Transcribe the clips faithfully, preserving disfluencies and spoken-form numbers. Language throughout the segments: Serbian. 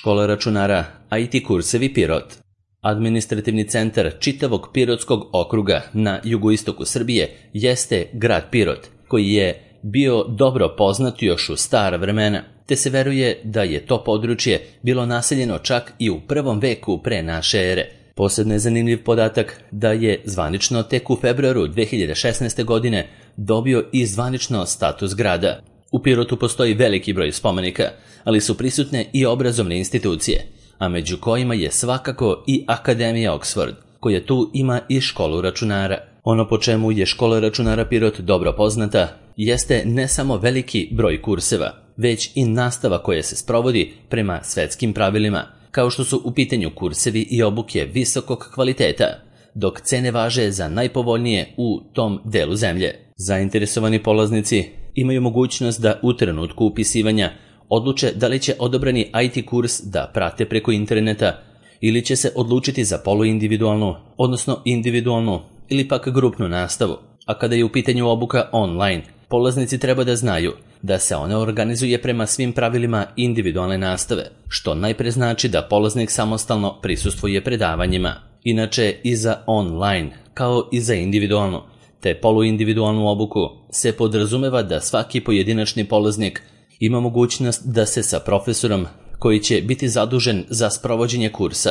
Škola računara I T kursevi Pirot. Administrativni centar čitavog Pirotskog okruga na jugoistoku Srbije jeste grad Pirot, koji je bio dobro poznat još u stara vremena, te se veruje da je to područje bilo naseljeno čak i u prvom veku pre naše ere. Posebno je zanimljiv podatak da je zvanično tek u februaru dve hiljade šesnaeste. godine dobio i zvanično status grada. U Pirotu postoji veliki broj spomenika, ali su prisutne i obrazovne institucije, a među kojima je svakako i Akademija Oxford, koja tu ima i školu računara. Ono po čemu je škola računara Pirot dobro poznata jeste ne samo veliki broj kurseva, već i nastava koja se sprovodi prema svetskim pravilima, kao što su u pitanju kursevi i obuke visokog kvaliteta, dok cene važe za najpovoljnije u tom delu zemlje. Zainteresovani polaznici imaju mogućnost da u trenutku upisivanja odluče da li će odobrani I T kurs da prate preko interneta ili će se odlučiti za poluindividualnu, odnosno individualnu ili pak grupnu nastavu. A kada je u pitanju obuka online, polaznici treba da znaju da se ona organizuje prema svim pravilima individualne nastave, što najpre znači da polaznik samostalno prisustvuje predavanjima. Inače, i za online, kao i za individualnu, te poluindividualnu obuku, se podrazumeva da svaki pojedinačni polaznik ima mogućnost da se sa profesorom, koji će biti zadužen za sprovođenje kursa,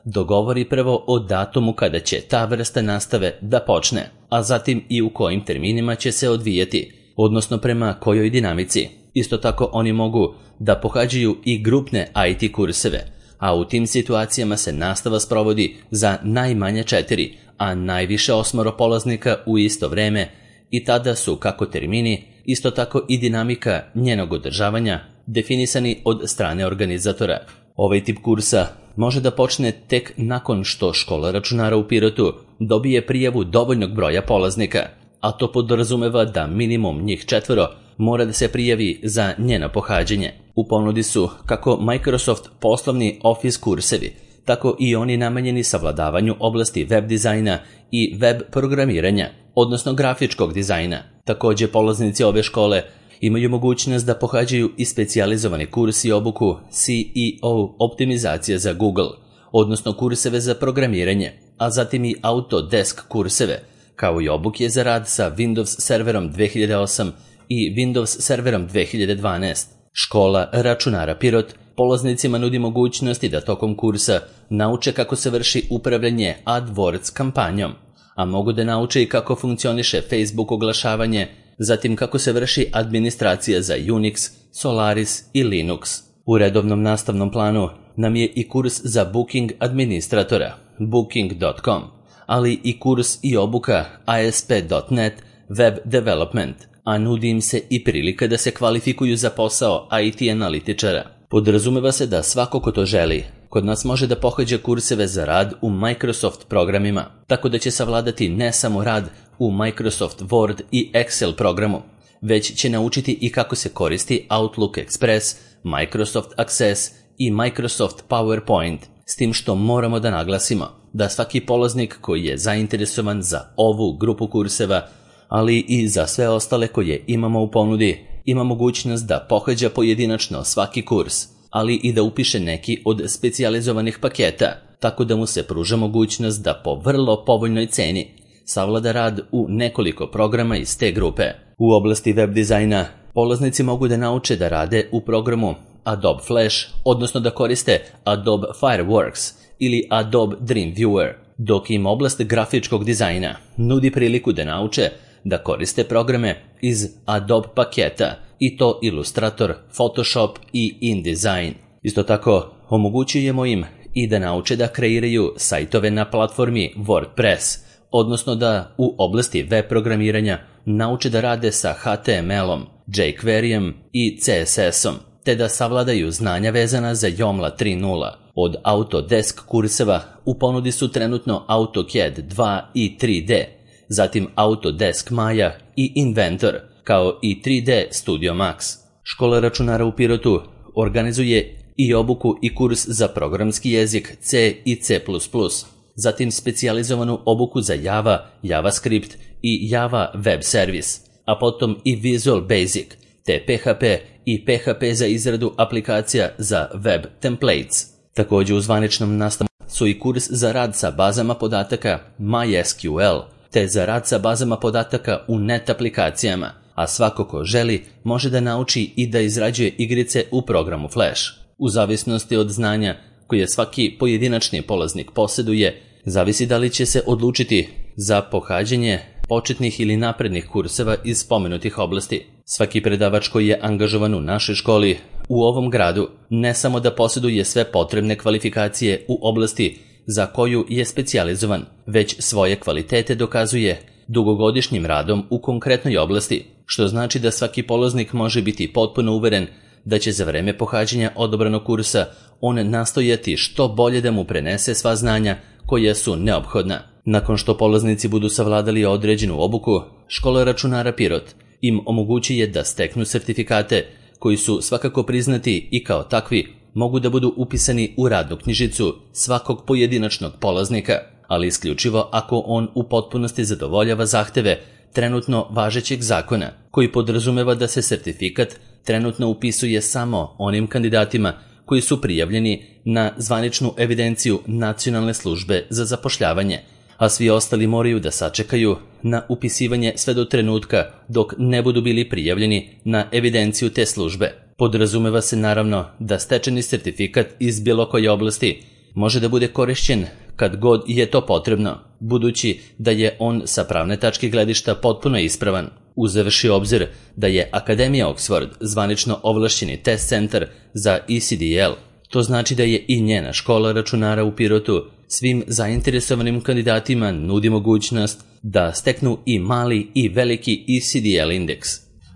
dogovori prvo o datumu kada će ta vrsta nastave da počne, a zatim i u kojim terminima će se odvijati, odnosno prema kojoj dinamici. Isto tako oni mogu da pohađaju i grupne I T kurseve, a u tim situacijama se nastava sprovodi za najmanje četiri, a najviše osmoro polaznika u isto vreme i tada su kako termini, isto tako i dinamika njenog održavanja definisani od strane organizatora. Ovaj tip kursa može da počne tek nakon što škola računara u Pirotu dobije prijavu dovoljnog broja polaznika, a to podrazumeva da minimum njih četvoro mora da se prijavi za njeno pohađanje. U ponudi su kako Microsoft poslovni Office kursevi, tako i oni namenjeni savladavanju oblasti web dizajna i web programiranja, odnosno grafičkog dizajna. Takođe, polaznici ove škole imaju mogućnost da pohađaju i specijalizovani kurs i obuku C E O optimizacija za Google, odnosno kurseve za programiranje, a zatim i Autodesk kurseve, kao i obuke za rad sa Windows serverom dve hiljade osam i Windows serverom dve hiljade dvanaest. Škola računara Pirot polaznicima nudi mogućnosti da tokom kursa nauče kako se vrši upravljanje AdWords kampanjom, a mogu da nauče i kako funkcioniše Facebook oglašavanje, zatim kako se vrši administracija za Unix, Solaris i Linux. U redovnom nastavnom planu nam je i kurs za booking administratora, booking dot com, ali i kurs i obuka A S P dot net web development, a nudi im se i prilika da se kvalifikuju za posao I T analitičara. Podrazumeva se da svako ko to želi kod nas može da pohađa kurseve za rad u Microsoft programima, tako da će savladati ne samo rad u Microsoft Word i Excel programu, već će naučiti i kako se koristi Outlook Express, Microsoft Access i Microsoft PowerPoint, s tim što moramo da naglasimo da svaki polaznik koji je zainteresovan za ovu grupu kurseva, ali i za sve ostale koje imamo u ponudi, ima mogućnost da pohađa pojedinačno svaki kurs, ali i da upiše neki od specijalizovanih paketa, tako da mu se pruža mogućnost da po vrlo povoljnoj ceni savlada rad u nekoliko programa iz te grupe. U oblasti web dizajna polaznici mogu da nauče da rade u programu Adobe Flash, odnosno da koriste Adobe Fireworks ili Adobe Dreamweaver, dok im oblast grafičkog dizajna nudi priliku da nauče da koriste programe iz Adobe paketa, i to Illustrator, Photoshop i InDesign. Isto tako, omogućujemo im i da nauče da kreiraju sajtove na platformi WordPress, odnosno da u oblasti web programiranja nauče da rade sa H T M L-om, jQuery-em i C S S-om, te da savladaju znanja vezana za Joomla tri nula. Od Autodesk kurseva u ponudi su trenutno AutoCAD dva i tri D, zatim Autodesk Maya i Inventor, kao i tri D Studio Max. Škola računara u Pirotu organizuje i obuku i kurs za programski jezik C i C plus plus, zatim specijalizovanu obuku za Java, JavaScript i Java Web Service, a potom i Visual Basic, te P H P i P H P za izradu aplikacija za web templates. Također u zvaničnom nastavu su i kurs za rad sa bazama podataka MySQL, te za rad sa bazama podataka u net aplikacijama, a svako ko želi može da nauči i da izrađuje igrice u programu Flash. U zavisnosti od znanja koje svaki pojedinačni polaznik posjeduje, zavisi da li će se odlučiti za pohađanje početnih ili naprednih kurseva iz spomenutih oblasti. Svaki predavač koji je angažovan u našoj školi u ovom gradu ne samo da posjeduje sve potrebne kvalifikacije u oblasti za koju je specijalizovan, već svoje kvalitete dokazuje dugogodišnjim radom u konkretnoj oblasti, što znači da svaki polaznik može biti potpuno uveren da će za vreme pohađanja odabranog kursa on nastojati što bolje da mu prenese sva znanja koja su neophodna. Nakon što polaznici budu savladali određenu obuku, škola računara Pirot im omogućuje da steknu sertifikate koji su svakako priznati i kao takvi mogu da budu upisani u radnu knjižicu svakog pojedinačnog polaznika, ali isključivo ako on u potpunosti zadovoljava zahteve trenutno važećeg zakona, koji podrazumeva da se sertifikat trenutno upisuje samo onim kandidatima koji su prijavljeni na zvaničnu evidenciju Nacionalne službe za zapošljavanje, a svi ostali moraju da sačekaju na upisivanje sve do trenutka dok ne budu bili prijavljeni na evidenciju te službe. Podrazumeva se naravno da stečeni sertifikat iz bilo koje oblasti može da bude korišćen kad god je to potrebno, budući da je on sa pravne tačke gledišta potpuno ispravan. Uzevši obzir da je Akademija Oxford zvanično ovlašćeni test centar za E C D L, to znači da je i njena škola računara u Pirotu svim zainteresovanim kandidatima nudi mogućnost da steknu i mali i veliki E C D L indeks,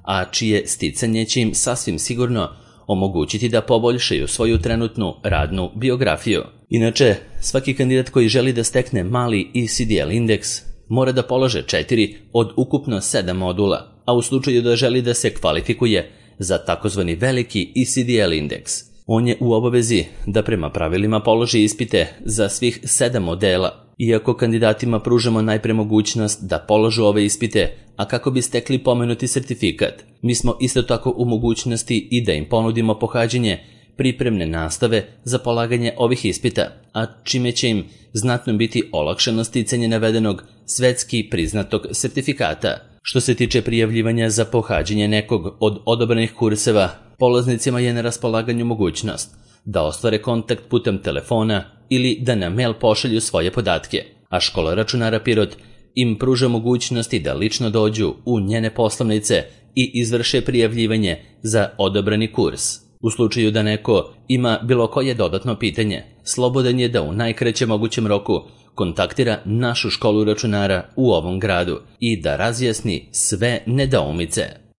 a čije sticanje će im sasvim sigurno omogućiti da poboljšaju svoju trenutnu radnu biografiju. Inače, svaki kandidat koji želi da stekne mali E C D L indeks mora da polože četiri od ukupno sedam modula, a u slučaju da želi da se kvalifikuje za takozvani veliki E C D L indeks, on je u obavezi da prema pravilima položi ispite za svih sedam modela. Iako kandidatima pružamo najpre mogućnost da položu ove ispite, a kako bi stekli pomenuti sertifikat, mi smo isto tako u mogućnosti i da im ponudimo pohađanje pripremne nastave za polaganje ovih ispita, a čime će im znatno biti olakšano sticanje navedenog svetski priznatog sertifikata. Što se tiče prijavljivanja za pohađanje nekog od odabranih kurseva, polaznicima je na raspolaganju mogućnost da ostvare kontakt putem telefona ili da na mail pošalju svoje podatke, a škola računara Pirot im pruža mogućnosti da lično dođu u njene poslovnice i izvrše prijavljivanje za odabrani kurs. U slučaju da neko ima bilo koje dodatno pitanje, slobodan je da u najkraćem mogućem roku kontaktira našu školu računara u ovom gradu i da razjasni sve nedoumice.